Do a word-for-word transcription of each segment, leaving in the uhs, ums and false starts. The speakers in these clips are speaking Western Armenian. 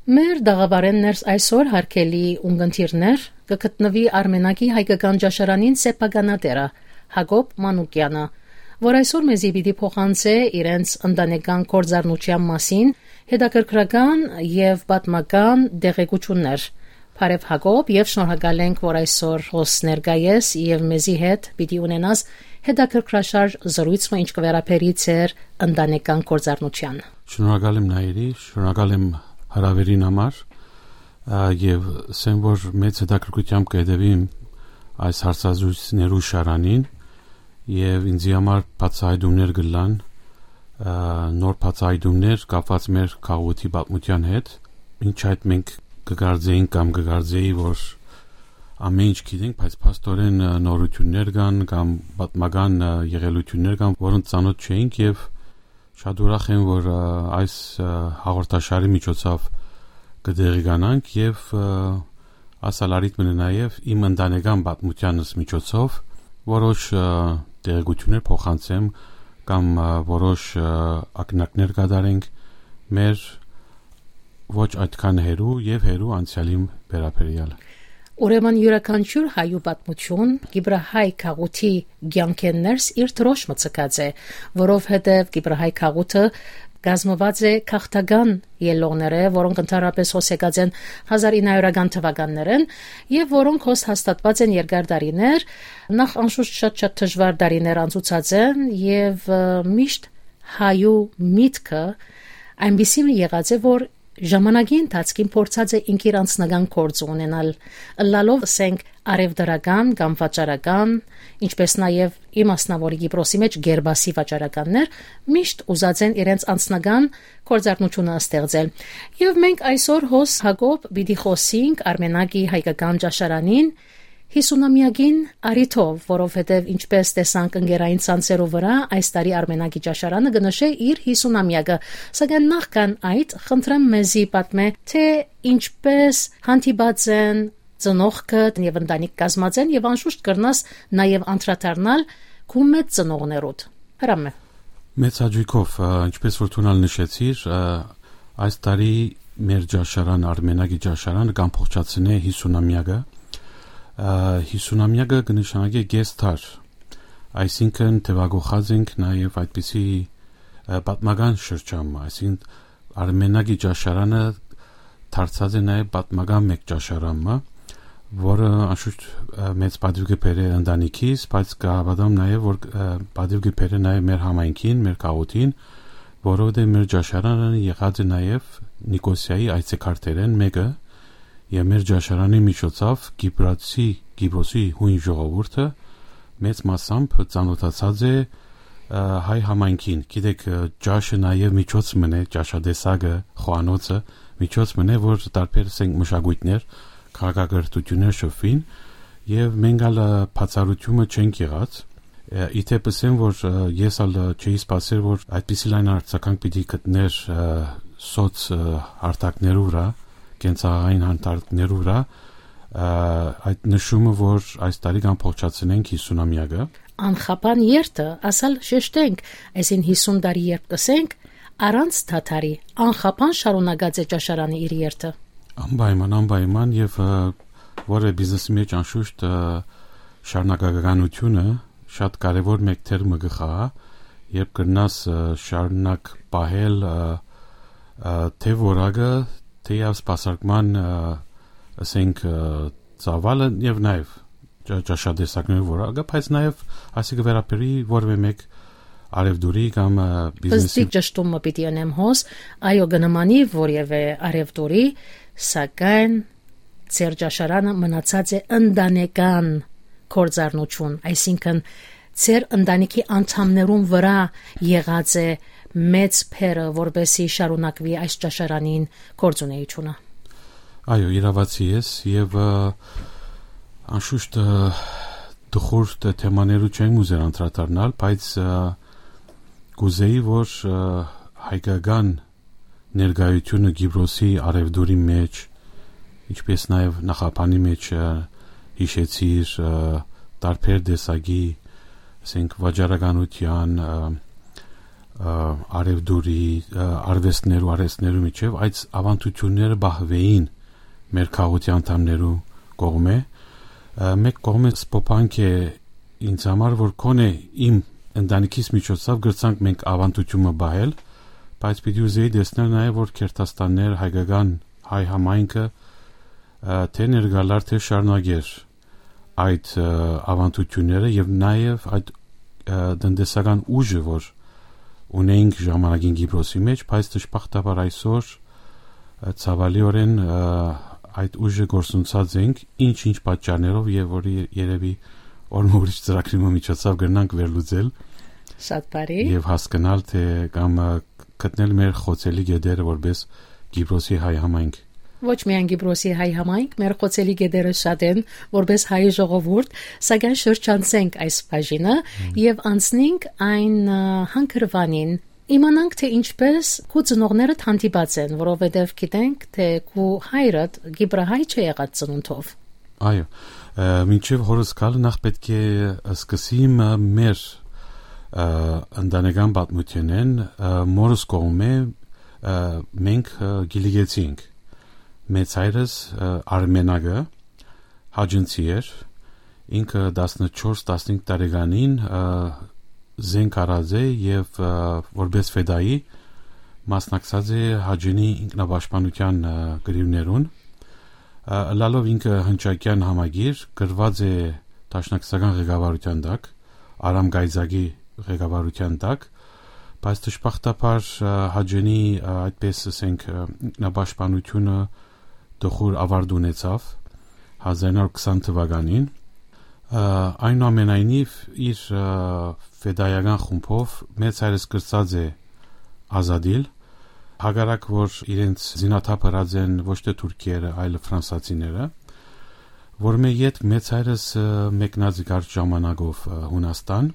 Մեր տաղաւարէն ներս այսօր, հարգելի ունկնդիրներ, կը գտնուի Արմենակի հայկական ճաշարանին սեփականատէրը՝ Յակոբ Մանուկեանը, որ այսօր մեզի պիտի փոխանցէ իրենց ընտանեկան գործառնութեան մասին հետաքրքրական եւ պատմական տեղեկութիւններ։ Բարեւ, Յակոբ, եւ շնորհակալ ենք, որ այսօր հոս ներկայ ես եւ մեզի հետ պիտի ունենաս հետաքրքրաշարժ զրոյց մը, ինչ կը վերաբերի ձեր ընտանեկան գործառնութեան։ Շնորհակալ եմ, Նայիրի, շնորհակալ եմ հրավերին համար, ա, եւ ասեմ, որ մեծ հետաքրքրությամբ կը հետեւեմ այս հարցազրույցներու շարանին, եւ ինձի համար բացահայտումներ կ'ըլլան, ա, նոր բացահայտումներ կապուած մեր քաղաքի պատմութեան հետ, ինչ այդ մենք կը կարծեինք կամ կը կարծեի, որ ամեն ինչ գիտենք, բայց փաստօրէն, ա, նորութիւններ կան կամ պատմական, ա, եղելութիւններ կան, որոնց ծանօթ չէինք, եւ շատ ուրախ եմ, որ, ա, այս, ա, հաղորդաշարի միջոցով կը տեղիկանանք եւ, ա, ասալ առիթ մնա նաեւ իմ ընտանեկան պատմութեանս միջոցով որոշ, ա, տեղեկութիւններ փոխանցեմ կամ, ա, որոշ, ա, ակնարկներ կատարենք մեր ոչ այդքան հեռու եւ հեռու անցեալին վերաբերեալ։ Ուրեմն, իւրաքանչիւր հայու պատմութիւն Կիպրահայ գաղութի կեանքէն ներս իր դրոշմը ձգած է, որովհետեւ Կիպրահայ գաղութը կազմուած է գաղթական ելլողներէ, որոնք ընդհանրապես հոս եկած են հազար ինը հարիւրական թուականներէն եւ որոնք հոս հաստատուած են երկար տարիներ, նախ անշուշտ շատ-շատ դժուար տարիներ անցուցած են եւ, ը, միշտ հայու միտքը այնպիսի մը եղած է, որ ժամանակի ընթացքին փորձած է ինք իր անձնական գործը ունենալ, ըլլալով, ասենք, առեւտրական կամ վաճառական, ինչպէս նաեւ իմ անձնաւորի Կիպրոսի մէջ գերբասի վաճառականներ միշտ ուզած են իրենց անձնական գործառնութիւնը ստեղծել։ Եվ մենք այսօր հոս, Յակոբ, պիտի խօսենք Արմենակի հայկական ճաշարանին յիսունամեակին առիթով, որովհետեւ, ինչպէս տեսանք ընկերային ցանցերու վրայ, այս տարի Արմենակի ճաշարանը կը նշէ իր յիսունամեակը, սակայն նախքան այդ, խնդրեմ մեզի պատմէ, թէ ինչպէս հանդիպած են ծնողքդ եւ ընտանիք կազմած են, եւ անշուշտ կրնաս նաեւ անդրադառնալ քու մեծ ծնողներուդ։ Հրամէ։ Մեծ հաճոյքով, ա, ինչպես որ դուն ալ նշեցիր, ա, այս տարի մեր ճաշարան, Արմենակի ճաշարանը կ'ամբողջացնէ յիսունամեակը։ Ա, յիսունամեակը կը նշանակէ կես դար, այսինքն թեւակոխած ենք նաեւ այդպիսի, ա, պատմական շրջան մը, այսինքն Արմենակի ճաշարանը դարձած է նաեւ պատմական մէկ ճաշարան մը, որը անշուշտ, ա, մեծ պատիւ կը բերէ ընտանիքիս, բայց կհաւատամ նաեւ, որ, ա, պատիւ կը բերէ նաեւ մեր համայնքին, մեր գաղութին, որովհետեւ մեր ճաշարանը եղած է նաեւ Նիկոսիայի այցեքարտերէն մէկը, եւ մեր ճաշարանի միջոցով Կիպրացի, Կիպրոսի յոյն ժողովուրդը մեծ մասամբ ծանօթացած է, ա, հայ համայնքին։ Գիտեք, ա, ճաշը նաեւ միջոց մըն է, ճաշատեսակը, խոհանոցը, միջոց մըն է, որ տարբեր, ասենք, մշակոյթներ, քաղաքակրթութիւններ շփուին, եւ մենք ալ, ա, բացառութիւնը չենք եղած։ Ա, ի դեպ, ասեմ, որ, ա, ես ալ, ա, չէի սպասեր, որ այդպիսի լայն արձագանք պիտի գտնէր, ա, սոց, ա, հարթակներու վրայ, կենցաղային հանդարտներու վրայ, ա, այդ նշումը, որ այս տարի կ'ամբողջացնենք յիսունամեակը։ Անխափան երթը, ասալ շեշտենք, այսին յիսուն տարի երբ կ'ըսենք, առանց դադարի, անխափան շարունակած է ճաշարանը իր երթը։ Անպայման, անպայման, եւ, ա, որեւէ բիզնեսի մէջ անշուշտ, ա, շարունակականությունը շատ կարեւոր մէկ դեր մը կը խաղայ, երբ կրնաս, ա, շարունակ պահել, ա, ա, թէ որակը, թէեւ սպասարկման, ա, ասենք, ա, ծավալը եւ նաեւ ճա-, ճաշատեսակներու որակը, բայց նաեւ ասիկը վերաբերի որեւէ մէկ արեւտուրի կամ, ա, բիզնեսի։ Պստիկ ճշտումը պիտի ընեմ հոս, այո, կը նմանի որեւէ արեւտուրի, սակայն ձեր ճաշարանը մնացած է ընտանեկան գործառնություն, այսինքն ձեր ընտանիքի անդամներուն վրայ եղած է մեծ բեռը, որպեսզի շարունակուի այս ճաշարանին գործունեությունը։ Այո, իրաւացի ես, եւ, ա, անշուշտ, ա, տխուր թ-, թեմաներու չեմ ուզեր անդրադառնալ, բայց, ա, կուզեի, որ, ա, հայկական ներկայությունը Կիպրոսի արեւտուրի մէջ, ինչպես նաեւ նախաբանի մէջ, ա, հիշեցիր, ա, տարբեր տեսակի, ասենք, վաճառականության, ա, ը, արեւտուրի, ը, արուեստներու, արհեստներու միջեւ, այդ աւանդութիւնները պահուէին մեր քաղաքացի անդամներու կողմէ։ Ը, մէկ կողմէ սպոփանք է ինձ համար, որ քոնէ իմ ընտանիքիս միջոցով գրցանք մենք աւանդութիւնը պահել, բայց պիտի ուզեի տեսնել նաեւ, որ Քերթաստաններ, հայկական հայ համայնքը, ը, թէ ներկալար, թէ շարունակեր այդ, ը, աւանդութիւնները եւ նաեւ այդ, ը, տնտեսական ուժը, որ ունեինք ժամանակին Կիպրոսի մեջ, բայց դժբախտաբար այսօր, ը, ցավալիօրէն, ը, այդ ուժը կորսնցած ենք, ինչ-ինչ պատճառներով, եւ որ ե-, երեւի օրը մը ուրիշ ծրագրի մը միջոցով կրնանք վերլուծել Շատ բարի։ Եւ հասկնալ, թէ կամ, ը, գտնել մեր խոցելի գետերը որպես Կիպրոսի հայ համայնք։ Ոչ միայն Կիպրոսի հայ համայնք, մեր խոցելի գետերը շատ են որպես հայ ժողովուրդ, սակայն շրջանցենք այս բաժինը Մմ։ եւ անցնենք այն, ը, հանգրուանին, իմանանք, թէ ինչպես քու ծնողներդ հանդիպած են, որովհետեւ գիտենք, թէ քու հայրդ կիպրահայ չէ եղած ծնունդով։ Այո, ը, մինչեւ հորս գալը նախ պէտք է սկսիմ, ը, մեր, ը, ընտանեկան պատմութենէն, ը, մորս կողմէ, ը, մենք, ը, Կիլիկեցի ենք։ Մեծ հայրս, ը, Արմենակը, հաճընցի էր, ինքը տասնչորս, տասնհինգ տարեկանին, ը, զենք առած է եւ, ը, որպես ֆեդայի մասնակցած է Հաճենի ինքնապաշտպանության, ը, կռիւներուն։ Ը, ըլլալով ինքը հնչակեան համագիր, գրուած է դաշնակցական ղեկավարութեան տակ, Արամ Կայծակի ղեկավարութեան տակ, բայց դժբախտաբար, ը, Հաճենի, ը, այդպես ասենք, ը, ինքնապաշտպանութիւնը տխուր աւարտ ունեցավ հազար ինը հարյուր քսան թուականին։ Ը, այնուամենայնիվ, իր, ը, ֆեդայական խումբով մեծ հայրս կրցած է ազատիլ, հակառակ որ իրենց զինաթափ ըրած են ոչ թէ թուրքերը, այլ ֆրանսացիները, որ մէ յետ մեծ հայրս, ը, մեկնած է կարճ ժամանակով, ը, Հունաստան,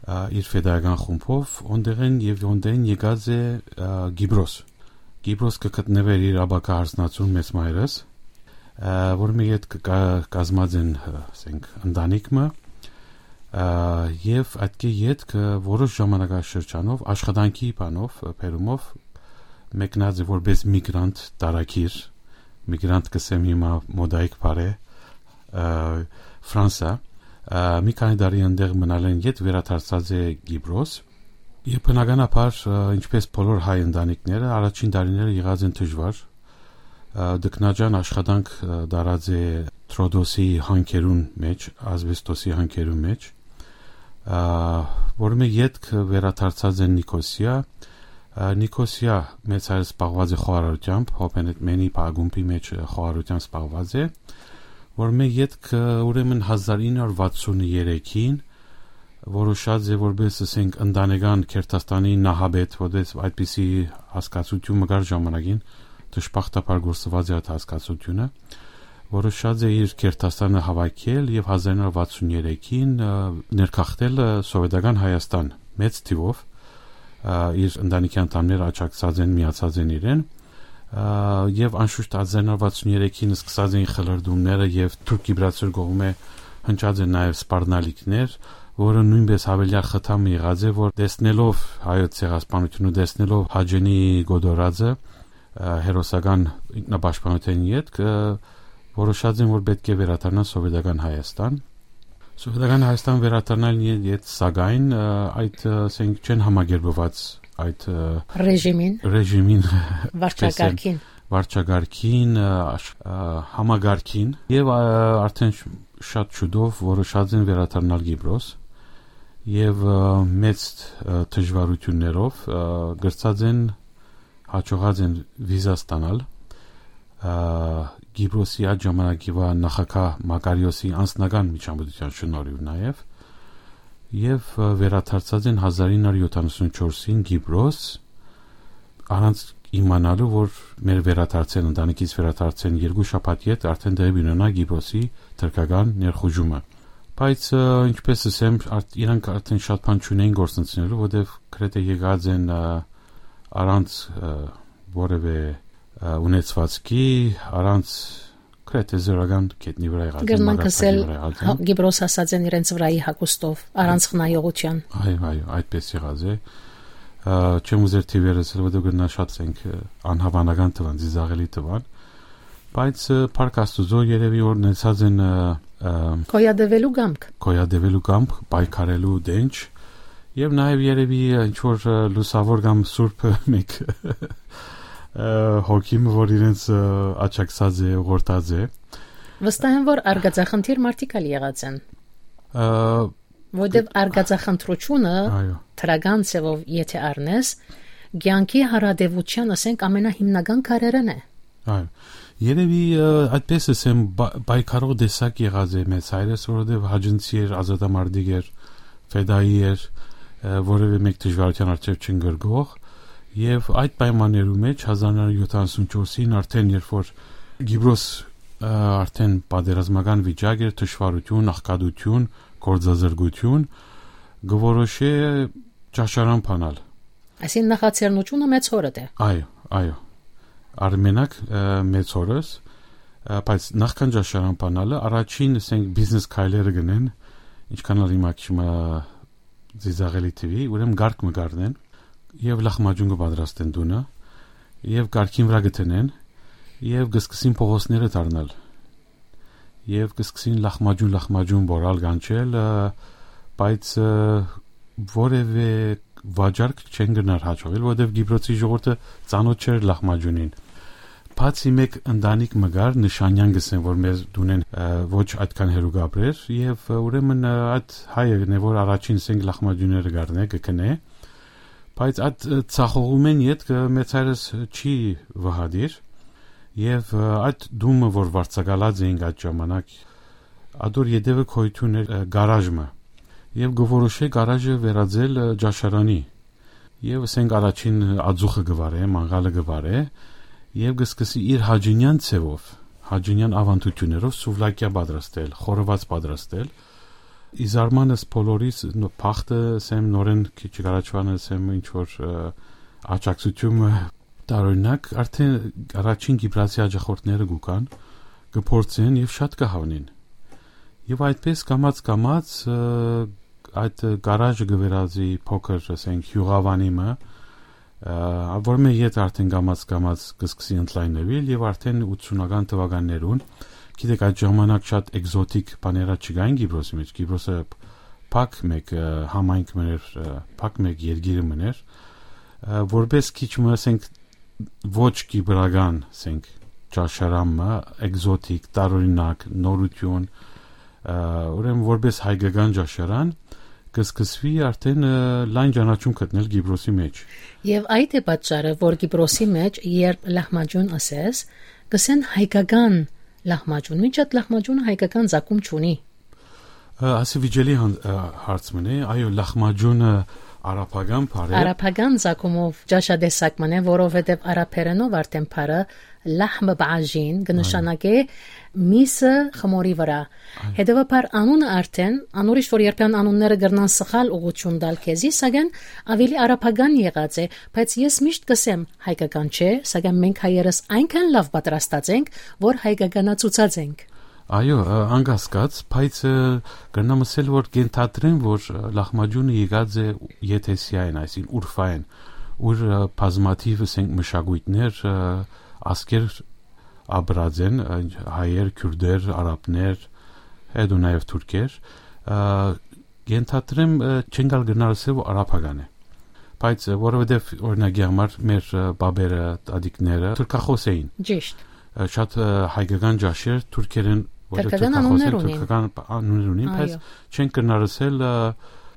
ը, իր ֆեդայական խումբով, օնդեղեն եւ օնդեն եկած է, ը, Կիպրոս։ Կիպրոս կը գտնուէր իր ապագայ հարսնացուն մեծ մայրս, ը, որ մէ յետ կը կա-, կազմած են, ը, ասենք, ընտանիք մը, ը, եւ այդ կը յետ կը որոշ ժամանակաշրջանով, աշխատանքի բանով, ը, բերումով մեկնած է որպես միգրանտ տարագիր, միգրանտ կսեմ հիմա մոդայիկ բառ է, ը, Ֆրանսա, ը, մի քանի տարի այնտեղ մնալեն յետ վերադարձած է Կիպրոս, եւ բնականաբար, ը, ինչպես բոլոր հայ ընտանիքները, առաջին տարիները եղած են դժուար, ը, տքնաջան աշխատանք, ը, դարած է Տրոդոսի հանքերուն մեջ, ասբեստոսի հանքերուն մեջ, ը, որ մէ յետք վերադարձած են Նիկոսիա, ը, Նիկոսիա մեծ հայրս զբաղված է խոհարարությամբ, Հոփենետ Մենի փակումբի մեջ, ը, խոհարարությամբ զբաղված է, որ մէ յետք, ը, ուրեմն հազար ինը հարյուր վաթսուն երեքին որոշած է որպես, ասենք, ընտանեկան Քերթաստանի նահապետ, որպես այդպիսի հասկացություն մը կար ժամանակին, դժբախտաբար գործուած է այդ հասկացությունը, որոշած է իր Քերթաստանը հավաքել եւ հազար ինը հարյուր վաթսուն երեքին, ը, ներգաղթել, ը, Սովետական Հայաստան մեծ թիվով, ը, իր ընտանիքի անդամները աջակցած են, միացած են իրեն, ը, եւ անշուշտ հազար ինը հարյուր վաթսուն երեքին սկսած էին խլրդումները եւ թուրք-կիպրացիներ կողմէ հնչած են նաեւ սպառնալիքներ, որը նոյնպես յաւելեալ խթան մը եղած է, որ տեսնելով հայոց ցեղասպանությունը, տեսնելով Հաճենի կոտորածը, ը, հերոսական ինքնապաշտպանութեան ետք, ը, որոշած են, որ պէտք է վերադառնան Սովետական Հայաստան։ Սովետական Հայաստան վերադառնալն ե-, յետ, սակայն, ը, այդ, ը, ասենք, չեն համակերպուած այդ, ը, Ռեժիմին։ Ռեժիմին, Վարչակարգին։ Վարչակարգին, ը, աշ-, ը, համակարգին, եւ, ը, արդեն շ-, շատ շուտով որոշած են վերադառնալ Կիպրոս, եւ, ը, մեծ, ը, դժվարություններով, ը, կրցած են, հաջողած են վիզա ստանալ, ը, Կիպրոսի այդ ժամանակի վա նախագահ Մակարիոսի անձնական միջամտության շնորհիվ նաեւ, եւ, ը, վերադարձած են հազար ինը հարյուր յոթանասուն չորսին Կիպրոս, առանց իմանալու, որ մեր վերադարձեն, ընտանիքից վերադարձեն երկու շաբաթ յետ արդեն տեղի ունենայ Կիպրոսի թրքական ներխուժումը։ Բայց, ը, ինչպես ասեմ, արդ-, իրանք արդեն շատ բան չունեին գործընծնելու, որտեւ գրեթէ եկած են, ը, առանց, ը, որևէ, ը, ունեցվածքի, առանց գրեթէ զրոյական գետնի վրա եղած են, Կրնանք մագաղթակի ասել, վրա եղած հա, են։ Կիպրոս հասած են իրենց վրայի հագուստով, առանց խնայողության։ Այո, այո, այդպես եղած է։ Ա, չեմ ուզեր թիվեր ասել, որտեղ կրնա շատ, ասենք, ը, անհավանական թվան, ծիծաղելի թվան, բայց, ը, փառք Աստուծոյ, երևի որ ունեցած են, ը, ը, Գոյատևելու կամք։ Գոյատևելու կամք, պայքարելու դենջ, եւ նաեւ երևի, ը, ինչ որ, ը, լուսավոր կամ սուրբ մեկ, ը, հոգի մը, որ իրենց, ը, աջակցած է, ուղղորդած է։ Վստահ եմ, որ արկածախնդիր մարդիկ ալ եղած են։ Ը, Որտեւ արկածախնդրությունը, այո, դրական ձևով եթե առնես, կեանքի հարատեւութեան, ասենք, ամենահիմնական քարերէն է։ Այո։ Երևի, ը, այդպես ասեմ, բա-, պայքարող տեսակ եղած է մեծ հայրս, որովհետեւ հաճընցի էր, ազատամարտիկ էր, ֆեդայի էր, ը, որևէ մեկ դժվարութեան առջեւ չընկրկող։ Եւ այդ պայմաններու մեջ հազար նոյ հարիւր յոթանասուն չորսին արդեն, երբ որ Կիպրոս, ը, արդեն պատերազմական վիճակ էր, թշվառութիւն, աղքատութիւն, գործազրկութիւն, կը որոշէ ճաշարան բանալ։ Այսինքն նախաձեռնությունը մեծ հորդ է։ Այո, այո։ Արմենակ, ը, մեծ հորս, ը, բայց նախքան ճաշարան բանալը, առաջին, ասենք, բիզնես քայլերը գնեն, ինչքան ալ հիմա քիչ մը ծիծաղելի թվի, ուրեմն կարգ մը կառնեն եւ լախմաճուն կը պատրաստեն տունը, եւ կարգին վրայ կը դնեն, եւ կը սկսին փողոցները դառնալ, եւ կը սկսին լախմաճուն, լախմաճուն բորալ, կանչել, ը, բայց, ը, որևէ վաճառք չեն գնար հաջողել, որովհետեւ Կիպրոսի ժողովուրդը ծանոթ չէր լախմաճունին։ Բացի մեկ ընտանիք մը կար, Նշանեան կ'ըսեն, որ մեր տունէն, ը, ոչ այդքան հեռու կ'ապրէր, եւ, ը, ուրեմն, ը, այդ հայը գնե, որ առաջին, ասենք, լախմաճունները կառնէ, կը գնէ, բայց այդ, ը, ցախողումէն ետքը մեծ հայրս չի վհատիր, եւ, ը, այդ տունը, որ վարձակալած էինք այդ ժամանակ, ադոր ետեւը գոյութիւն էր, ը, գարաժ մը, եւ կը որոշէ գարաժը վերածել, ը, ճաշարանի, եւ, ասենք, առաջին ածուխը կը վարէ, մանգալը կը վարէ, եւ կը սկսի իր հաճինեան ձեւով, հաճինեան աւանդութիւններով սուվլակիա պատրաստել, խորոված պատրաստել։ Ի զարմանս բոլորիս, նո-, բախտը, ասեմ, նորէն քիչ առաջվան, ասեմ, ինչ որ, ը, աջակցութիւնը, տարօրինակ, արդեն առաջին Կիպրասի աջախորդները կու գան, կը փորձեն եւ շատ կը հաւնին։ Եւ այդպես կամաց-կամաց, ը, այդ գարաժը կը վերածի փոքր, ասենք, յուղավանի մը, ը, որ մէ յետ արդեն կամաց-կամաց կը սկսի ընդլայնվել, եւ արդեն ութսունական թվականներուն, գիտեք, այդ ժամանակ շատ էկզոտիկ բաները չկային Կիպրոսի մեջ, Կիպրոսը փակ մէկ, ը, համայնք մըն էր, ը, փակ մէկ երկիրը մըն էր, ը, որպես քիչ մը, ասենք, ոչ կիպրական, ասենք, ճաշարան մը, էկզոտիկ, տարօրինակ, նորութիւն, ը, ուրեմն որպես հայկական ճաշարան, կը սկսուի արդեն, ը, լայն ճանաչում գտնել Կիպրոսի մեջ։ Եւ այդ է պատճառը, որ Կիպրոսի մեջ, երբ լահմաճուն ըսես, կ'ըսեն հայկական լահմաճուն, մինչ այդ լահմաճունը հայկական ծագում չունի։ Ը, ասի վիճելի հան-, ը, հարց մըն է, այո, լահմաճունը արաբական բառ է։ Արաբական ծագումով ճաշատեսակ մըն է, որովհետեւ արաբերենով արդեն բառը լահմ բաժին կը, այո, նշանակէ միսը խմորի վրա։ Այո։ Հետեւաբար անունը արդեն, անոր իշ որ երբեմն անունները կրնան սխալ ուղղություն տալ քեզի, սակայն ավելի արաբական եղած է, բայց ես միշտ կ'ըսեմ, հայկական չէ, սակայն մենք հայերս այնքան լաւ պատրաստած ենք, որ հայկականացուցած ենք։ Այո, ը, անկասկած, բայց, ը, կրնամ ասել, որ կ'ենթադրեմ, որ, ը, լահմաճունը եկած է եթեսիայեն, այսինքն Ուրֆայեն, ուր, ը, բազմաթիվ, ասենք, մշակույթներ, ը, ազգեր ապրած են, ը, հայեր, քյուրդեր, արաբներ, հետո նաև թուրքեր, ը, կ'ենթադրեմ, ը, չենք ալ կրնար ասել, որ արաբական է, բայց, ը, որովհետև, օրինակի համար, մեր, ը, բաբերը, տատիկները թուրքախոս էին։ Ճիշտ։ Ը, շատ, ը, հայկական ճաշեր թուրքերեն, որտեղ թուրքական թուրքախոս անուններ են, ունին։ Թուրքական անուններ ունին, բայց, այո, չենք կրնար ասել, ը,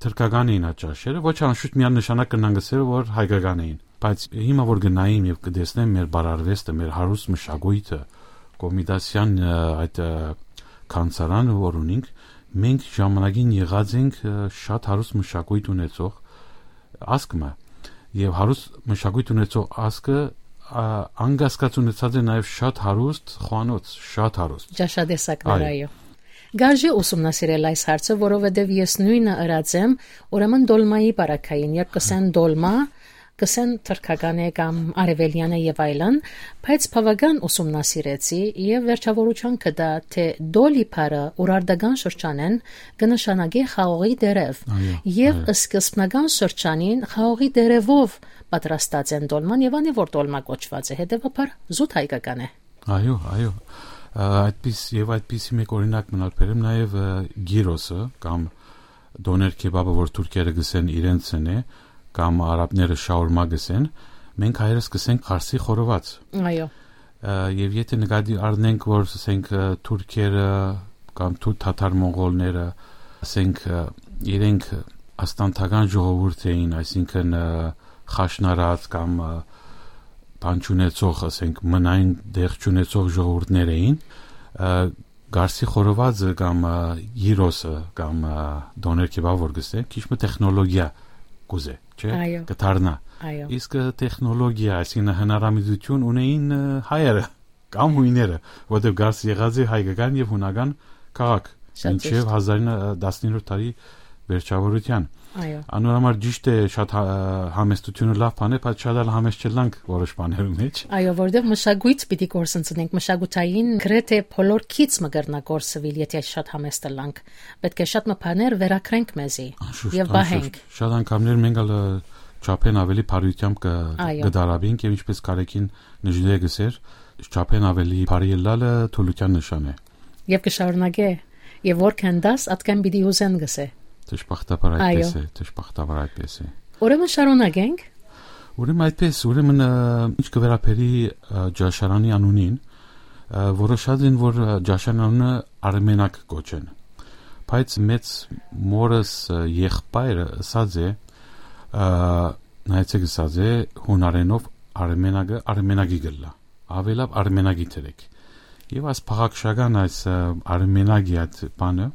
թուրքական էին այդ ճաշերը, ոչ անշուշտ միանշանակ կրնանք ասել, որ հայկական էին, բայց հիմա որ գնայինք եւ կտեսնեմ մեր բարարվեստը, մեր հարուստ մշակույթը, Կոմիտասյան, ը, այդ, ը, գանձարանը, որ ունինք, մենք ժամանակին եղած ենք, ը, շատ հարուստ մշակույթ ունեցող ազգ մը, եւ հարուստ մշակույթ ունեցող ազգը, ա, անկասկած ունեցած է նաև շատ հարուստ խոհանոց, շատ հարուստ։ Ճաշատեսակներ, այո, այո։ Գարժի ուսումնասիրել այս հարցը, որովհետև ես նույնը ըրած եմ, ուրեմն դոլմայի պարագային, երբ կ'ըսեն դոլմա, կ'ըսեն թրքական է կամ արեւելեան է եւ այլն, բայց բաւական ուսումնասիրեցի եւ վերջաւորութեան կը տայ, թէ դոլի բառը ուրարտական շրջանէն կը նշանակէ խաղողի տերեւ, Այո, եւ այո։ սկզբնական շրջանին խաղողի տերեւով պատրաստած են տոլման եւ անէ որ տոլմա կոչուած է, հետեւաբար զուտ հայկական է։ Այո, այո։ Ա, այդպես, եւ այդպիսի մեկ օրինակ մնալ բերեմ, նաեւ, ը, գիրոսը կամ դոներ քեբաբը, որ թուրքերը գսեն իրենց են է, կամ արաբները շաուրմա գսեն, մենք հայերս գսենք խարսի խորոված։ Այո։ Ա, եւ եթե նկատի առնենք, որ, ասենք, ը, թուրքերը կամ թու-, թաթար մոնղոլները, ասենք, ը, իրենք աստանթական ժողովուրդ էին, այսինքն, ը, խաշնարած կամ, ը, բան չունեցող, ասենք, մնային տեղ չունեցող ժողովուրդներ էին, ը, գարսի խորովածը կամ, ը, գիրոսը կամ, ը, դոներ քեբաբ որ գսեն, քիչ մը տեխնոլոգիա կուզե, չէ՞։ Այո։ Կդառնայ։ Այո։ Իսկ, ը, տեխնոլոգիա, այսինքն հնարամիջութիւն ունեին, ը, հայերը կամ հույները, որտեղ գարս եղած է հայկական եւ հունական քաղաք, Շատ մինչեւ ճիշտ։ հազար տասներորդ դարի վերջաւորութեան։ Այո։ Անոր համար ճիշտ է, շատ հա-, համեստությունը լաւ բան է, բայց շատ ալ համեստ չըլլանք որոշ բաներու մեջ։ Այո, որտեղ մշակոյթ պիտի կորսնցնենք, մշակութային գրեթէ բոլոր քիչ մը կրնայ կորսուիլ, եթե շատ համեստ ըլլանք։ Պետք է շատ մը բաներ վերագրենք մեզի Անշուշտ, եւ պահենք։ անշուշտ։ Շատ անգամներ մենք ալ, ը, չափեն ավելի բարիությամբ կը, Այո։ կը դարաբինք եւ ինչպես Կարեկին Նժդեհը գսեր, չափեն ավելի բարի ըլլալը թուլության նշան է։ Եւ կը շարունակէ, եւ որքան դաս, ատկան պիտի ուզեն գսե։ Դժբախտաբար այդպես Այո։ է, դժբախտաբար այդպես է։ Ուրեմն շարունակենք։ Ուրեմն այդպես, ուրեմն, ը, ինչ կը վերաբերի, ը, Ջաշարանի անունին, ը, որոշած են, որ, ը, Ջաշարանի անունը Արմենակ կոչեն։ Բայց մեծ մորս, ը, եղբայրը ըսած է, ը, նայեցեք, ըսած է, հունարենով Արմենակը Արմենակի կ'ըլլայ։ Աւելաւ Արմենակի դրեք։ Եւ այս փաղաքշական այս, ը, Արմենակի այդ բանը,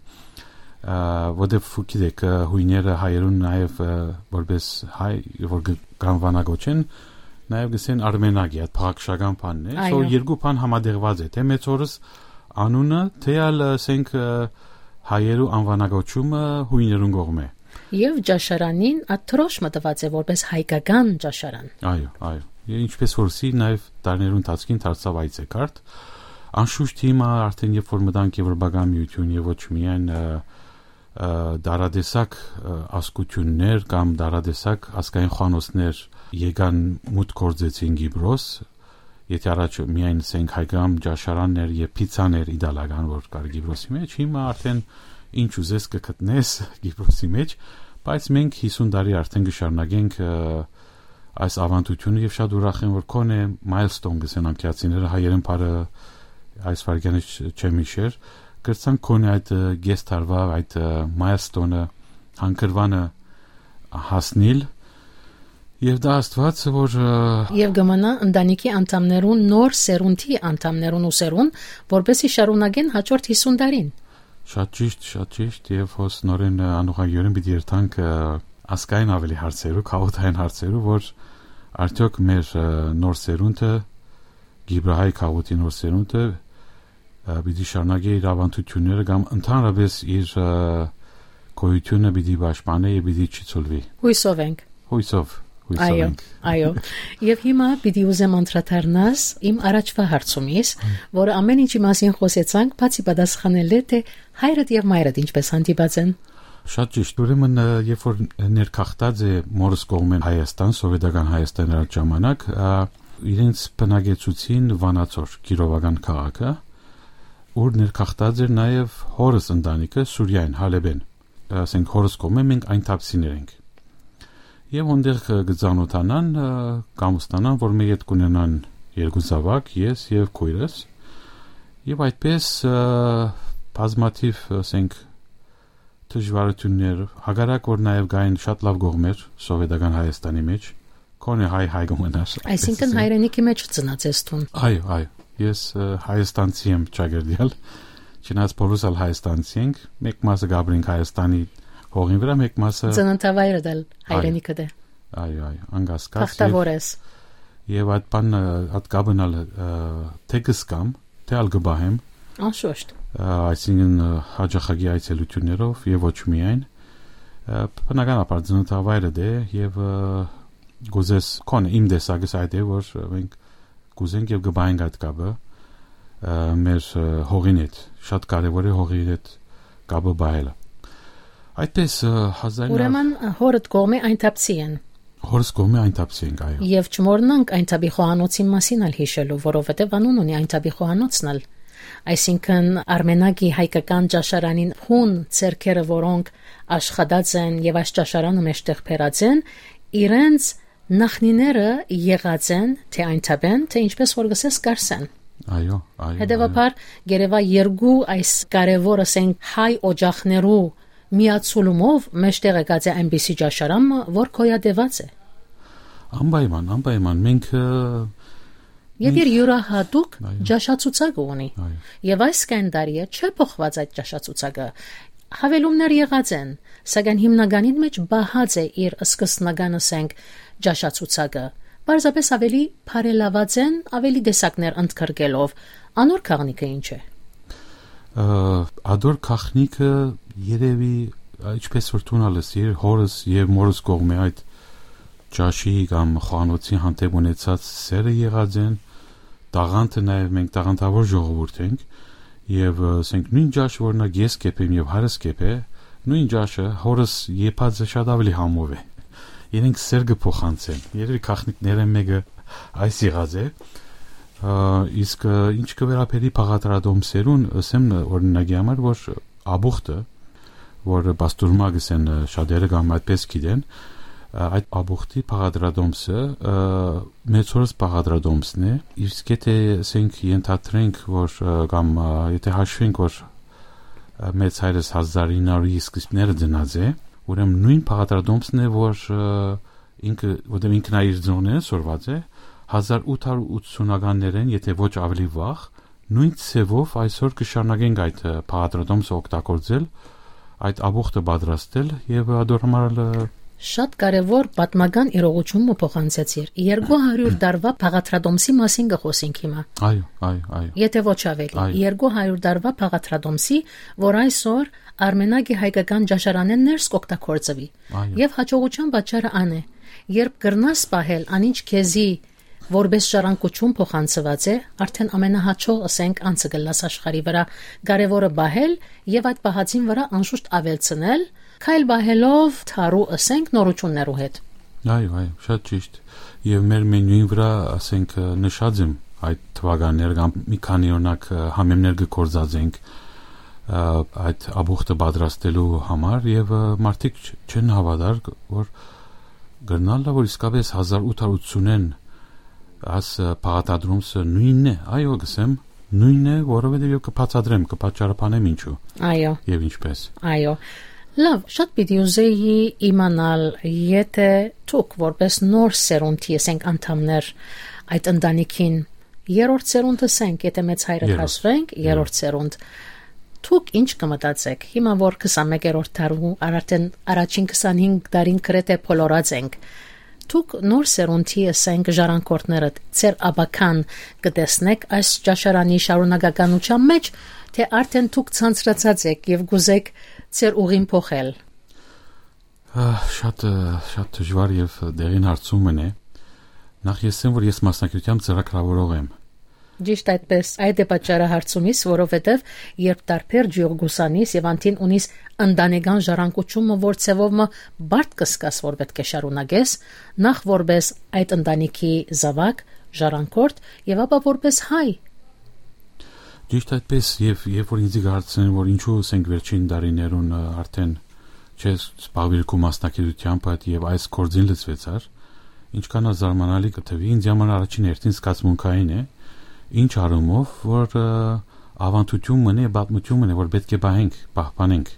ը, որտեւ գիտեք, ը, հույները հայերուն նաեւ, ը, որպես հայ, որ գ-, կ'անուանագոչեն, նաեւ գսեն Արմենակի այդ փաղաքշական բանն է։ Այո։ So երկու բան համատեղված է, թէ մեծ օրս անունը, թէ ալ, ասենք, ը, հայերու անուանագոչումը հույներուն կողմէ։ Եւ Ջաշարանին այդ դրոշմը տուած է որպես հայկական Ջաշարան։ Այո, այո։ Եւ ինչպես որ սի, նաեւ տարիներու ընթացքին դարձաւ այցեքարտ։ Անշուշտ հիմա արդեն երբ որ մտանք Եվրոպական միություն եւ ոչ միայն, ը, ը, դարատեսակ, ը, ազգություններ կամ դարատեսակ ազգային խոհանոցներ եկան, մուտք գործեցին Կիպրոս, եթե առաջ միայն, ասենք, հայկական ճաշարաններ եւ փիցաներ իտալական, որ կար Կիպրոսի մեջ, հիմա արդեն ինչ ուզես կը գտնես Կիպրոսի մեջ, բայց մենք հիսուն տարի արդեն կը շարունակենք, ը, այս ավանդությունը եւ շատ ուրախ եմ, որ քոնէ milestone գսեն անկիացիները, հայերեն բառը այս վայրկյանից չ-, չեմ հիշեր, կրցանք քոնէ այդ, ը, կես տարուայ այդ, ը, milestone-ը, հանգրուանը հասնիլ, եւ դա Աստուած, որ, ը, Եւ կը մնայ ընտանիքի անդամներուն, նոր սերունդի անդամներուն ու սերուն, որպեսզի շարունակեն հաջորդ հիսուն տարին։ Շատ ճիշտ, շատ ճիշտ, եւ հոս նորեն, ը, անուղղակիորեն պիտի երթանք, ը, ազգային ավելի հարցերու, քաղաքային հարցերու, որ արդեօք մեր, ը, նոր սերունդը, Կիպրահայ քաղաքին նոր սերունդը, ը, պիտի շարունակի իր ավանդությունները կամ ընդհանրապես իր, ը, գոյությունը պիտի պաշտպանե եւ պիտի չի ցուլվի։ Հույսով ենք։ Հույսով, հույսով Այո, ենք։ այո։ Եվ հիմա պիտի ուզեմ անդրադառնաս իմ առաջվա հարցումից, Այո։ որը ամեն ինչի մասին խոսեցանք, բացի պատասխանել է, թե հայրդ եւ մայրդ ինչպես հանդիպած են։ Շատ ճիշտ։ Ուրեմն, ը, երբ որ ներգաղթած է մորս կողմէն Հայաստան, սովետական Հայաստան էր այդ ժամանակ, ա, իրենց բնակեցուցին Վանաձոր, Կիրովական քաղաքը, ուր ներգաղթած էր նաեւ հորս ընտանիքը Սուրիայեն, Հալեբեն, ասենք, հորս կողմէ մենք այն թափսիներ ենք։ Եվ հոնդեղ, ը, կը ծանոթանան, ը, կամուստանան, որ մեր հետ կունենան երկու զաւակ, ես եւ քոյրս, եւ այդպես, ը, բազմաթիվ, ասենք, դժվարություններ, հակառակ որ նաեւ կային շատ լավ կողմեր սովետական Հայաստանի մեջ, քոնէ հայ հայ կը մնար, այսինքն այսինքն հայրենիքի մեջ ծնած ես դուն։ Այո, այո, ես, ը, հայաստանցի եմ ճակերտյալ, չնայած բոլորս ալ հայաստանցի ենք, մեկ մասը կապրենք Հայաստանի հողին վրա, մեկ մասը Ծննդավայրդ ալ Այո։ հայրենիքդ է։ Այո, այո, անկասկած, Բախտավոր ես։ Եւ այդ բանը, այդ կապն ալ, ը, թե կսկամ, թե ալ կբահեմ, Անշուշտ։ ը, այսինքն, ը, հաճախակի այցելություններով եւ ոչ միայն, ը, բնականաբար ծննդավայրդ է եւ, ը, Կուզես, քոնը իմ տեսակս այդ է, որ մենք կուզենք եւ կը պահենք այդ կապը, ը, մեր, ը, հողին հետ, շատ կարեւոր է հողի հետ կապը պահելը։ Այդպես, ը, հազար Ուրեմն, հորդ կողմէ այն թափցի են։ Հորս կողմէ այն թափցի ենք, այո։ Եւ չմոռնանք այն թափի խոհանոցին մասին ալ յիշելու, որովհետեւ անուն ունի այն թափի խոհանոցն ալ։ Այսինքն, Արմենագի հայկական ճաշարանին հուն ձեռքերը, որոնք աշխատած են եւ այս ճաշարանը մեջտեղ բերած են, իրենց նախնիները եղած են, թե այն թափեն, թե ինչպես որ գսես կարսեն։ Այո, այո, Հետեւաբար, գերեվա երկու այս կարեւոր, ասենք, հայ օջախներու միացուլումով մեջտեղ եկած է այնպիսի ճաշարան մը, որ գոյատեւած է։ Անպայման, անպայման, մենք, ը, Եւ իր յուրահատուկ Այո։ ճաշացուցակը ունի։ Այո։ Եւ այս կենդարիը չէ փոխված այդ ճաշացուցակը։ Հավելումներ եղած են, սակայն հիմնականին մեջ պահած է իր սկզբնական, ասենք, ճաշացուցակը։ Պարզապես ավելի բարելաված են, ավելի տեսակներ ընդգրկելով։ Անոր գաղտնիքը ինչ է։ Ը, ադոր գաղտնիքը երեւի, ա, ինչպես որ դուն ալ ես, իր հորս եւ մորս կողմէ այդ ճաշի կամ խոհանոցի հանդեպ ունեցած սերը եղած են, տաղանդը նաեւ մենք տաղանդավոր ժողովուրդ ենք, եւ, ը, ասենք, նոյն ճաշը, օրինակ, ես կեփեմ եւ հայրս կեփէ, նոյն ճաշը հորս եփածը շատ ավելի համով է։ Իրենք սեր կը փոխանցեն։ Երեւի գաղտնիքներէն մէկը այս եղած է։ Ա, իսկ, ը, ինչ կը վերաբերի բաղադրատոմսերուն, ըսեմ, օրինակի համար, որ աբուխտը, որ պաստուրմա գսեն, ը, շատերը կամ այդպես գիտեն, ը, այդ աբուխտի բաղադրատոմսը, ը, մեծ հորս բաղադրատոմսն է, իսկ եթե, ասենք, ենթադրենք, որ, ը, կամ, ը, եթե հաշվենք, որ, ը, մեծ հայրս հազար ինը հարիւր սկիզբները ծնած է, ուրեմն նոյն բաղադրատոմսն է, որ, ը, ինքը, որտեղ ինքն ա իր ծնողներէն սորված է, հազար ութ հարիւր ութսունականներէն, եթե ոչ ավելի վաղ, նոյն ձեւով այսօր կը շարունակենք այդ, ը, բաղադրատոմսը օգտագործել, այդ աբուխտը պատրաստել եւ ադոր համար ալ, ը, Շատ կարեւոր պատմական իրողութիւն մը փոխանցեցիր։ Երկու հարիւր տարուայ բաղադրատոմսի մասին կը խօսենք հիմա։ Այո, այո, այո։ Եթե ոչ ավելի, Այո։ երկու հարիւր տարուայ բաղադրատոմսի, որ այսօր Արմենագի հայկական ճաշարանէն ներս կօգտագործուի։ Այո։ Եւ հաջողության պատճառը ան է, երբ կրնաս պահել անինչ քեզի որպէս ժառանգութիւն փոխանցուած է, արդեն ամենահաջող, ըսենք, անձը կ'ըլլաս աշխարհի վրայ, կարեւորը պահել եւ այդ պահածին վրայ անշուշտ աւելցնել, քայլ պահելով դարու, ըսենք, նորութիւններու հետ։ Այո, այո, շատ ճիշտ։ Եւ մեր մենիուին վրայ, ասենք, նշած եմ այդ թուականները կամ մի քանի, օրինակ, համեմներ կը գործածենք, ը, այդ աբուխտը պատրաստելու համար եւ, ը, մարդիկ չ-, չեն հաւատար, որ կրնալ լա, որ իսկապես հազար ութ հարիւր ութսունէն աս, ը, բաղադրատոմսը նոյնն է, այո, կ'ըսեմ, նոյնն է, որովհետեւ ես կը բացատրեմ, կը պատճառաբանեմ ինչու Այո, եւ ինչպես։ այո։ Լավ, շատ պիտի ուզեի իմանալ, եթե դուք որպես նոր սերունդի, ասենք, անդամներ այդ ընտանիքին, երրորդ սերունդ, ասենք, եթե մեծ հայրը Երրորդ։ Հասվենք, Երրորդ։ երրորդ սերունդ, դուք ինչ կը մտածեք, հիմա որ քսանմեկերորդ դարու, արդեն առաջին քսանհինգ տարին գրեթե բոլորած ենք, դուք նոր սերունդի, ասենք, ժառանգորդներդ, ձեր աբական կը տեսնեք այս ճաշարանի շարունակականության մեջ, թե արդեն դուք ցանցրացած եք եւ կուզեք ձեր ուղին փոխել։ Ա, շատ, ը, շատ դժուար եւ դեղին հարցում մըն է։ Նախ ես ասեմ, որ ես մասնագիտությամբ ծրագրավորող եմ։ Ճիշտ այդպես, այդ է պատճառը հարցումիս, որովհետեւ երբ տարբեր ջիող կուսանիս եւ անդին ունիս ընտանեկան ժառանգությունը, որ ձևով մը բարդ կը զգաս, որ պէտք է շարունակես, նախ որպես այդ ընտանիքի զաւակ, ժառանգորդ եւ ապա որպես հայ։ Ճիշտ այդպես, եւ երբ որ ինձի կհարցնեն, որ ինչու, ասենք, վերջին տարիներուն, ը, արդեն չես զբաղվիր քու մասնագիտությամբ այդ եւ այս գործին լծվեցար, ինչքան ա զարմանալի կը թվի, ինձ համար առաջին հերթին զգացմունքային է, ինչ առումով, որ, ը, ավանդութիւն մնե, պատմութիւն մնե, որ պէտք է պահենք, պահպանենք։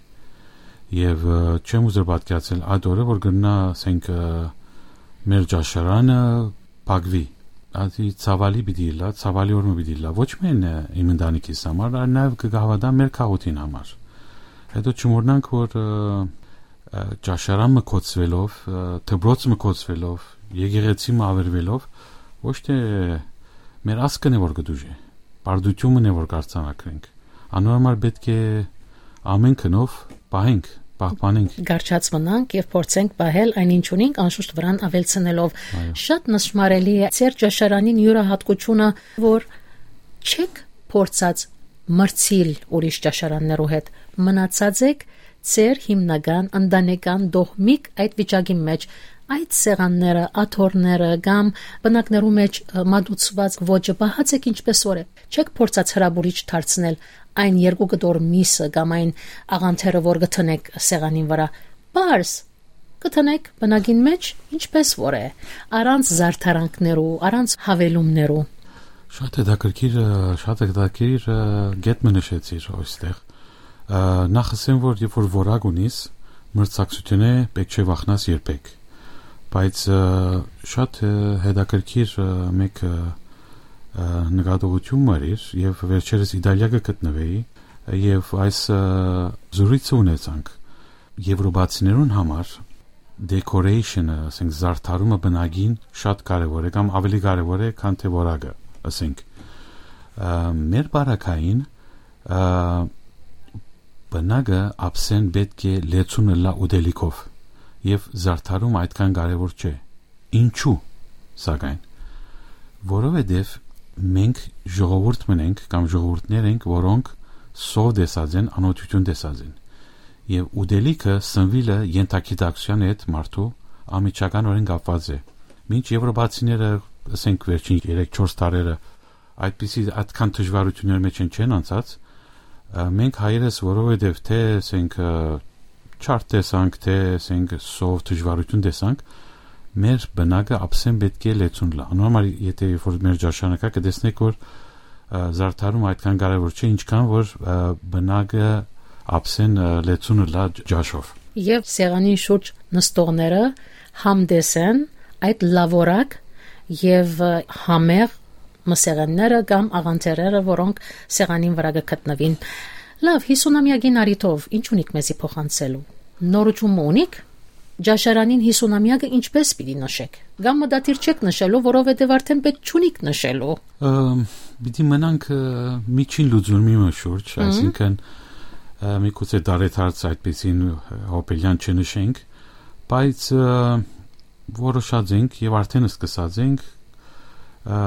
Եւ, ը, չեմ ուզեր պատկերացնել այդ օրը, որ կրնայ, ասենք, ը, մեր ճաշարանը փակուի։ Ադի ցաւալի պիտի ըլլայ, ցաւալի օր մը պիտի ըլլայ, ոչ միայն, ը, իմ ընտանիքիս համար, այլ նաեւ կը հաւատամ մեր քաղաքին համար։ Հետո չմոռնանք, որ, ը, ը, ճաշարան մը կոչուելով, ը, դպրոց մը կոչուելով, եկեղեցի մը ավերվելով, ոչ թե մեր ազգն է, որ կը դուժի, բարդութիւնն է, որ կարձանագրենք։ Անոր համար պէտք է ամեն գնով պահենք պահպանենք, կառչած մնանք եւ փորձենք պահել այն, ինչ ունենք, անշուշտ վրան աւելցնելով։ Այո։ Շատ նշմարելի է ձեր ճաշարանին յուրահատկությունը, որ չեք փորձած մրցիլ ուրիշ ճաշարաններու հետ, մնացած եք ձեր հիմնական, ընտանեկան, դոհմիկ այդ վիճակի մեջ։ Այդ սեղանները, աթոռները կամ պնակներու մեջ, ը, մատուցուած ոճը պահած եք ինչպես որ է։ Չեք փորձած հրապուրիչ դարձնել այն երկու կտոր միսը կամ այն աղանդերը, որ կը դնեք սեղանին վրա։ Պարզ, կը դնեք պնակին մեջ ինչպես որ է, առանց զարդարանքներու, առանց հավելումներու։ Շատ հետաքրքիր, ը, շատ հետաքրքիր, ը, կետ մը նշեցիր այստեղ։ Ը, նախ ասեմ, որ երբ որ որակ ունիս, մրցակցութիւնէ պէտք չէ վախնաս երբեք։ Բայց, ը, շատ, ը, հետաքրքիր, ը, մէկ, ը, ը, նկատողութիւն մը էր, եւ վերջերս Իտալիա կը գտնուէի, եւ այս, ը, զրույցը ունեցանք։ Եվրոպացիներուն համար decoration-ը, ասենք, զարդարումը բնակին շատ կարեւոր է կամ ավելի կարեւոր է, քան թե որակը, ասենք։ Ը, մեր պարագային, ը, բնակը ափսեն պէտք է լեցուն ըլլայ ուտելիքով, եւ զարդարումը այդքան կարեւոր չէ։ Ինչու՞, սակայն։ Որովհետեւ մենք ժողովուրդ մն ենք կամ ժողովուրդներ ենք, որոնք սով տեսած են, անօթութիւն տեսած են։ Եւ ուտելիքը, սնուիլը ենթագիտակցութեան հետ մարդու անմիջականորեն կապուած է։ Մինչ եվրոպացիները, ասենք, վերջին երեք-չորս տարերը այդպիսի, այդքան դժուարութիւններ մէջ են, չեն անցած, ը, մենք հայերս, որովհետեւ թէ, ասենք, ը, չարդ տեսանք, թէ, ասենք, սով դժուարութիւն տեսանք, մեր բնակը ափսեն պէտք է լեցուն լա։ Անոր համար, եթե երբ որ մեր ճաշարանը կայ, կը տեսնեք, որ, ը, զարդարումը այդքան կարեւոր չէ, ինչքան որ, ը, բնակը ափսեն, ը, լեցուն լա ճաշով։ Եւ սեղանին շուրջ նստողները համտես են այդ լաւորակ եւ, ը, համեղ մսեղենները կամ աղանդերերը, որոնք սեղանին վրա կը գտնուին։ Լավ, յիսունամեակին առիթով ի՞նչ ունիք մեզի փոխանցելու։ Նորութիւն մը ունիք։ Ճաշարանին յիսունամեակը ինչպես պիտի նշեք։ Կամ մտադիր չեք նշելու, որովհետեւ արդեն պէտք չունիք նշելու։ Ըմ, պիտի մնանք, ը, միջին լուծումի մը շուրջ, Մհմ։ այսինքն, ը, միգուցե դարեդարձ այդպիսին, ը, հոբելյան չնշենք, բայց, ը, որոշած ենք եւ արդեն սկսած ենք, ը,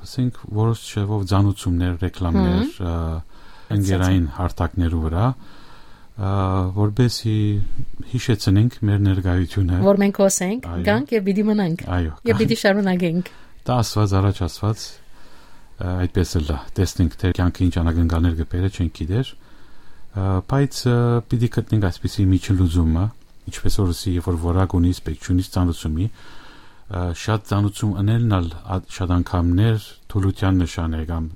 ասենք, որոշ չեղով ծանուցումներ, ռեկլամներ, Մհմ։ ը, ընկերային հարթակներու վրա, ը, որպեսզի յիշեցնենք մեր ներկայությունը։ Որ մենք հոս ենք, Այո։ գանք եւ պիտի մնանք։ Այո, Եւ գանք։ պիտի շարունակենք։ Դա ասված, առաջ ասված, ը, այդպես ըլլա։ Տեսնենք, թե կյանքը ինչ անակնկալներ կը բերէ, չենք գիտեր, ը, բայց, ը, պիտի գտնենք այսպիսի միջին լուծումը, ինչպես որ ասի, երբ որ որակ ունիս, պէտք չունիս ծանուցումի, ը, շատ ծանուցում ընելն ալ ա-, շատ անգամներ թուլութեան նշան է կամ,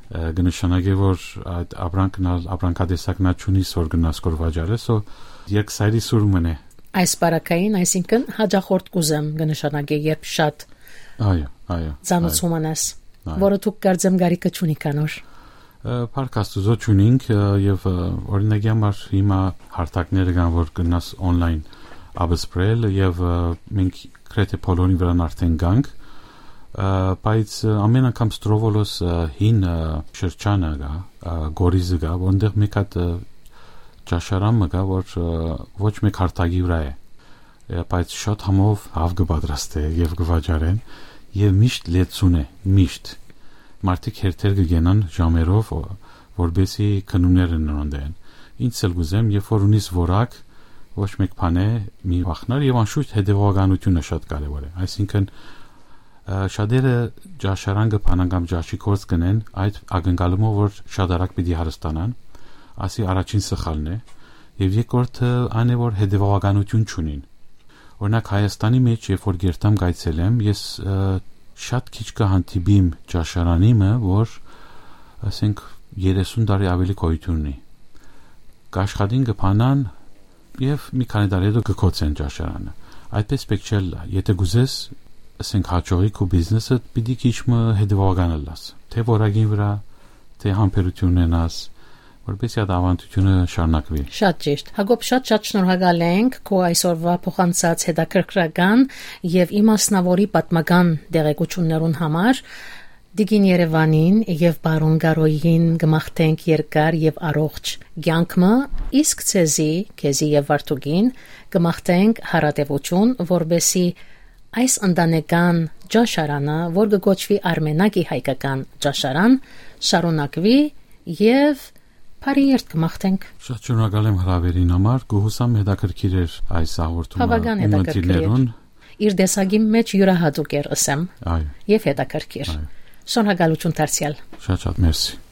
ը, կը նշանակէ, որ այդ ապրանքն ալ, ապրանքատեսակն ալ չունիս, որ գնաս կոր վաճառես, so երկսայրի սուր մն է։ Այս պարագային, այսինքն, հաճախորդ կուզեմ կը նշանակէ, երբ շատ Այո, այո, ծանուցում անես, այո։ որը դուք կարծեմ կարիքը չունիք անոր։ Ը, փառք Աստուծո չունինք, ը, եւ, ը, օրինակի համար հիմա հարթակները կան, որ գնաս online ապսպրել եւ, ը, մենք գրեթե բոլորին վրան արդեն գանք, ը, բայց, ը, ամեն անգամ Ստրովոլոս, ը, հին, ը, շրջանը կա, ը, Գորիզը կա, որտեղ մեկ հատ, ը, ճաշարան մը կա, որ, ը, ոչ մեկ հարթակի վրա է, ը, բայց շատ համով հաւ կը պատրաստէ եւ կը վաճառեն, եւ միշտ լեցուն է, միշտ։ Մարդիկ հերթեր կը գենան ժամերով, ո-, որպեսի գնումներ ընեն անտեն։ Ինչ ալ կուզեմ, երբ որ ունիս որակ, ոչ մեկ բան է մի վախնար, եւ անշուշտ հետեւողականությունը շատ կարեւոր է։ Այսինքն, ը, շատերը ճաշարան կը բանան կամ ճաշի գործ կնեն, այդ ակնկալումով, որ շատ արագ պիտի հարստանան, ասի առաջին սխալն է, եւ երկրորդը այն է, որ հետեւողականություն չունին։ Օրինակ, Հայաստանի մեջ, երբ որ գերտամ կայցելեմ, ես, ը, շատ քիչ կը հանդիպիմ ճաշարանի մը, որ, ասենք, երեսուն տարի ավելի գոյություն ունի։ Կաշխատին, կը բանան եւ մի քանի տարի հետո կը կոչեն ճաշարանը։ Այդպես պէտք չէ ըլլայ։ Եթե կուզես, ասենք, հաջողի քու բիզնեսը, պիտի քիչ մը հետեւողական ըլլաս, թէ որակին վրա, թէ համբերություն ունենաս, որպեսզի այդ ավանդությունը շարունակուի։ Շատ ճիշտ։ Հակոբ, շատ, շատ շնորհակալ ենք քո այսօրվա փոխանցած հետաքրքրական եւ իմասնաւորի պատմական տեղեկություններուն համար։ Տիկին Երեւանին եւ պարոն Կարոյին կը մաղթենք երկար եւ առողջ կեանք մը, իսկ ձեզի, քեզի եւ Վարդուկին, կը մաղթենք հարատեւութիւն, որպէսզի այս ընտանեկան ճաշարանը, որ կը կոչուի Արմենակի հայկական ճաշարան, շարունակուի եւ բարի երթ կը մաղթենք։ Շատ շնորհակալ եմ հրավերին համար, կը յուսամ հետաքրքիր էր այս հաղորդումը Բավական ու հետաքրքիր էր։ մտիրներուն։ Իր տեսակի մէջ իւրահատուկ էր, ըսեմ, Այո, եւ հետաքրքիր։ այո։ Շնորհակալութիւն դարձեալ։ Շատ շատ մերսի։